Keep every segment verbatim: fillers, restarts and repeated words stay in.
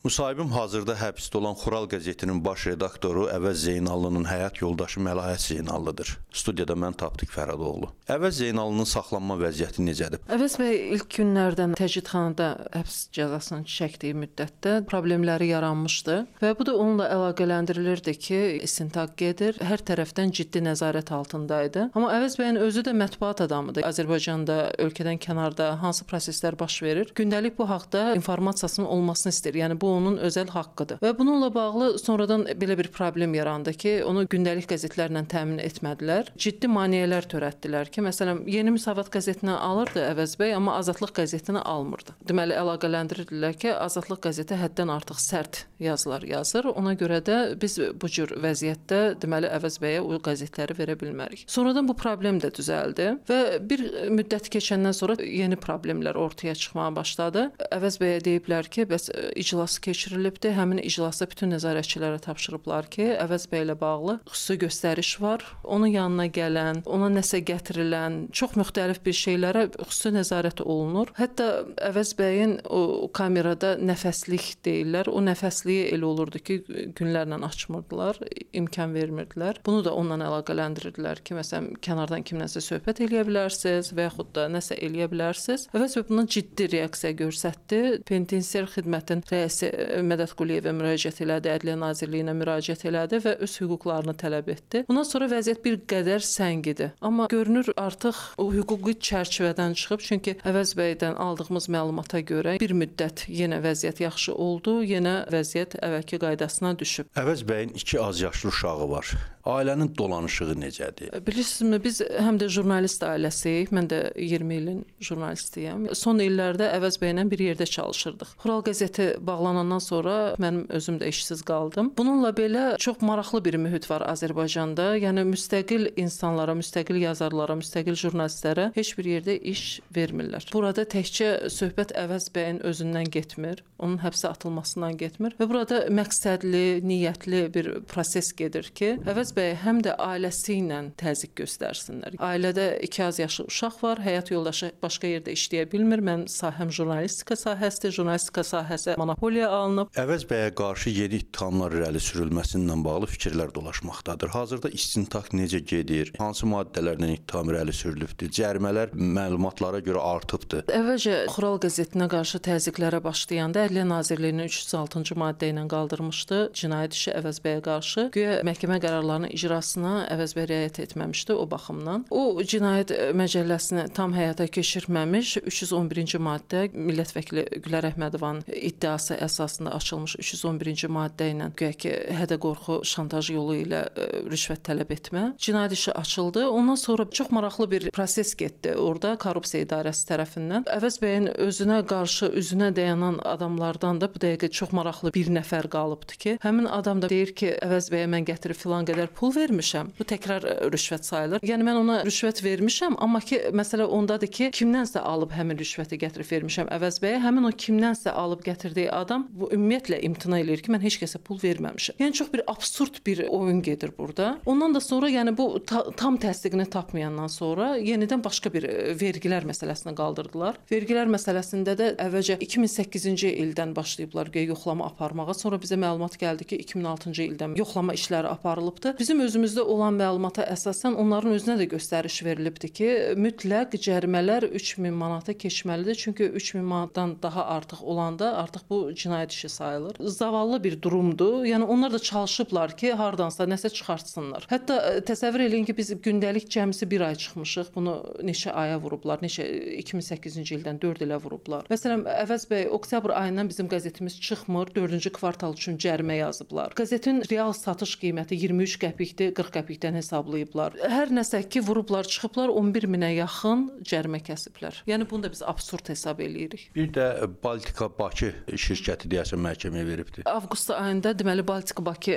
Müsahibim hazırda həbsdə olan Xural qəzetinin baş redaktoru Əvəz Zeynallının həyat yoldaşı Məlahət Zeynallıdır. Studiyada mən Tapdıq Fərhadoğlu. Əvəz Zeynallının saxlanma vəziyyəti necədir? Əvəz bəy ilk günlərdən təcridxanada həbs cəzasını çəkdiyi müddətdə problemləri yaranmışdı və bu da onunla əlaqələndirilirdi ki, istintaq gedir, hər tərəfdən ciddi nəzarət altındaydı. Amma Əvəz bəyin özü də mətbuat adamıdır. Azərbaycanda, ölkədən kənarda hansı proseslər baş verir? Gündəlik bu haqda informasiyasının olmasını istəyir. Yəni bu onun özəl haqqıdır. Və bununla bağlı sonradan belə bir problem yarandı ki, onu gündəlik qəzetlərlə təmin etmədilər. Ciddi maneələr törətdilər ki, məsələn, Yeni Müsavat qəzetinə alırdı Əvəz bəy, amma Azadlıq qəzetinə almırdı. Deməli, əlaqələndirdilər ki, Azadlıq qəzeti həddən artıq sərt yazılar yazır. Ona görə də biz bu cür vəziyyətdə deməli Əvəz bəyə o qəzetləri verə bilmərik. Sonradan bu problem də düzəldi və bir müddət keçəndən sonra yeni problemlər ortaya çıxmağa başladı. Əvəz bəyə deyiblər ki, bəs iclas keçirilibdi. Həmin iclasda bütün nəzarətçilərə tapşırıblar ki, Əvəz bəy ilə bağlı xüsusi göstəriş var. Onun yanına gələn, ona nəsə gətirilən, çox müxtəlif bir şeylərə xüsusi nəzarət olunur. Hətta Əvəz bəyin o kamerada nəfəslik deyirlər. O nəfəsliyi elə olurdu ki, günlərlə açmırdılar, imkan vermirdilər. Bunu da onunla əlaqələndirdilər ki, məsələn, kənardan kimlənsə söhbət eləyə bilərsiniz və yaxud da nəsə eləyə bilərsiniz. Əvəz bəy buna ciddi reaksiya göstərdi. Penitensiar xidmətin rəisi Mədət Quliyevə müraciət elədi, Ədliyyə Nazirliyinə müraciət elədi və öz hüquqlarını tələb etdi. Bundan sonra vəziyyət bir qədər səngidi. Amma görünür artıq o hüquqi çərçivədən çıxıb, çünki Əvəz bəydən aldığımız məlumata görə bir müddət yenə vəziyyət yaxşı oldu, yenə vəziyyət əvvəlki qaydasına düşüb. Əvəz bəyin iki az yaşlı uşağı var. Ailənin dolanışığı necədir? Bilirsinizmi, biz həm də jurnalist ailəsiyik. Mən də iyirmi ilin jurnalistiyəm. Son illərdə Əvəz bəylə bir yerdə çalışırdıq. Xural qəzeti bağlanandan sonra mənim özüm də işsiz qaldım. Bununla belə çox maraqlı bir mühit var Azərbaycanda. Yəni müstəqil insanlara, müstəqil yazarlara, müstəqil jurnalistlərə heç bir yerdə iş vermirlər. Burada təkcə söhbət Əvəz bəyin özündən getmir, onun həbsə atılmasından getmir və burada məqsədli, niyyətli bir proses gedir ki, Əvəz bəy həm də ailəsi ilə təzyiq göstərsinlər. Ailədə iki az yaşlı uşaq var, həyat yoldaşı başqa yerdə işləyə bilmir. Mənim sahəm jurnalistika sahəsidir, jurnalistika sahəsi monopoliya alınıb. Əvəz bəyə qarşı yeni ittihamlar irəli sürülməsindən bağlı fikirlər dolaşmaqdadır. Hazırda istintaq necə gedir? Hansı maddələrlə ittiham irəli sürülübdür? Cərimələr məlumatlara görə artıbdır. Əvvəlcə Xural qəzetinə qarşı təzyiqlərə başlayanda Ədliyyə Nazirliyinin üç yüz altıncı maddə ilə qaldırmışdı cinayət işi Əvəz bəyə qarşı. Güya məhkəmə qərarlarının icrasına Əvəz bəy riayət etməmişdi o baxımdan. O cinayət məcəlləsini tam həyata keçirməmiş üç yüz on birinci maddə millət vəkili Gülər Əhmədovanın iddiası əsasında açılmış üç yüz on birinci maddə ilə güya ki, hədə-qorxu, şantaj yolu ilə ə, rüşvət tələb etmə cinayət işi açıldı. Ondan sonra çox maraqlı bir proses getdi orada korrupsiya idarəsi tərəfindən. Əvəz bəyin özünə qarşı üzünə dayanan adamlardan da bu dəqiqə çox maraqlı bir nəfər qalıbdı ki, həmin adam da deyir ki, Əvəz bəyə mən gətirib filan qədər pul vermişəm. Bu təkrar rüşvət sayılır. Yəni mən ona rüşvət vermişəm, amma ki, məsələ ondadır ki, kimdənsə alıb həmin rüşvəti gətirib vermişəm Əvəz bəyə. Həmin o kimdənsə alıb gətirdiyi adam bu ümumiyyətlə imtina eləyir ki, mən heç kəsə pul verməmişəm. Yəni çox bir absurd bir oyun gedir burada. Ondan da sonra yəni bu ta tam təsdiqini tapmayandan sonra yenidən başqa bir vergilər məsələsini qaldırdılar. Vergilər məsələsində də əvvəlcə iki min səkkizinci ildən başlayıblar güya yoxlama aparmağa. Sonra bizə məlumat gəldi ki, iki min altıncı ildən yoxlama işləri aparılıbdı. Bizim özümüzdə olan məlumata əsasən onların özünə də göstəriş verilibdi ki, mütləq cərimələr üç min manata keçməlidir. Çünki üç min manatdan daha artıq olanda artıq bu cinayət işi sayılır. Zavallı bir durumdur. Yəni onlar da çalışıblar ki, hardansa nəsə çıxartsınlar. Hətta təsəvvür eləyin ki, biz gündəlik cəmsi bir ay çıxmışıq. Bunu neçə aya vurublar? Neçə iki min səkkizinci ildən dörd ilə vurublar. Məsələn, Əvəz bəy oktyabr ayından bizim qəzetimiz çıxmır. dördüncü kvartal üçün cərimə yazıblar. Qəzetin real satış qiyməti iyirmi üç qəpikdir, qırx qəpikdən hesablayıblar. Hər nəsə ki, vurublar, çıxıblar on bir minə yaxın cərimə kəsiblər. Yəni bunu da biz absurd hesab eləyirik. Bir də Baltika Bakı şirkəti deyəsən məhkəməyə veribdi. Avqust ayında deməli Baltika Bakı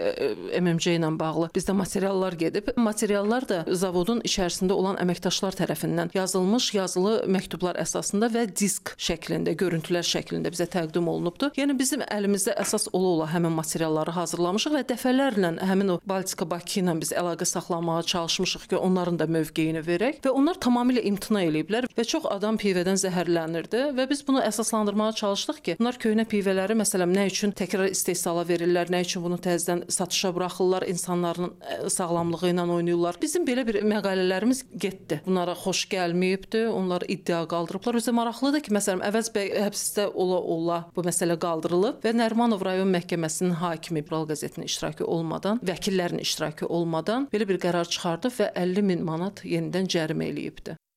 M M C ilə bağlı bizdə materiallar gedib. Materiallar da zavodun içərisində olan əməkdaşlar tərəfindən yazılmış yazılı məktublar əsasında və disk şəklində, görüntülər şəklində bizə təqdim olunubdu. Yəni bizim əlimizdə əsas ola-ola həmin materialları hazırlamışıq və dəfələrlə həmin o Baltika Bakı Bakı ilə biz əlaqə saxlamağa çalışmışıq ki, onların da mövqeyini verək və onlar tamamilə imtina eləyiblər və çox adam pivədən zəhərlənirdi və biz bunu əsaslandırmağa çalışdıq ki, bunlar köhnə pivələri məsələn nə üçün təkrar istehsala verirlər, nə üçün bunu təzədən satışa buraxırlar, insanların sağlamlığı ilə oynayırlar. Bizim belə bir məqalələrimiz getdi. Bunlara xoş gəlməyibdi, onlar iddia qaldırıblar. Özə maraqlıdır ki, məsələn, Əvəz bəy həbsdə ola-ola bu məsələ qaldırılıb və Nərimanov rayon məhkəməsinin hakimi İbral qəzetinin iştirakı olmadan, vəkillərin iştirakı olmadan belə bir qərar çıxardıb və əlli min manat yenidən cərimə eləyibdi.